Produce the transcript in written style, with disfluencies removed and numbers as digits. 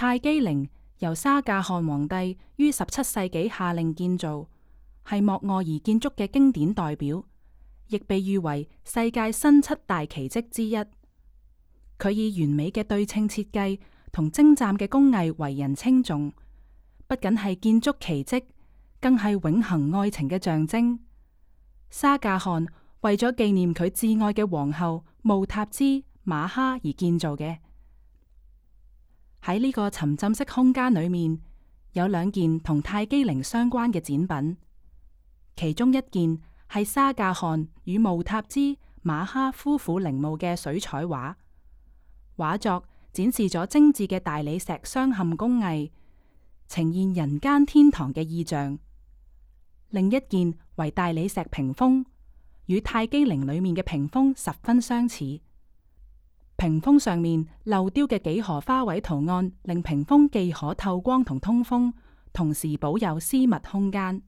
泰姬陵由沙迦汗皇帝於17世紀下令建造，係莫臥兒建築嘅經典代表，亦被譽為世界新7大奇蹟之一。佢以完美嘅對稱設計同精湛嘅工藝為人稱頌，不僅係建築奇蹟，更係永恆愛情嘅象徵。沙迦汗為咗紀念佢摯愛嘅皇后慕塔茲瑪哈而建造嘅。喺呢個沉浸式空間裏面，有2件同泰姬陵相關嘅展品，其中一件係沙迦汗與慕塔茲瑪哈夫婦陵墓嘅水彩畫，畫作展示咗精緻嘅大理石鑲嵌工藝，呈現人間天堂嘅意象。另一件為大理石屏風，與泰姬陵裏面嘅屏風十分相似。屏風上面鏤雕嘅幾何花卉圖案，令屏風既可透光同通風，同時保有私密空間。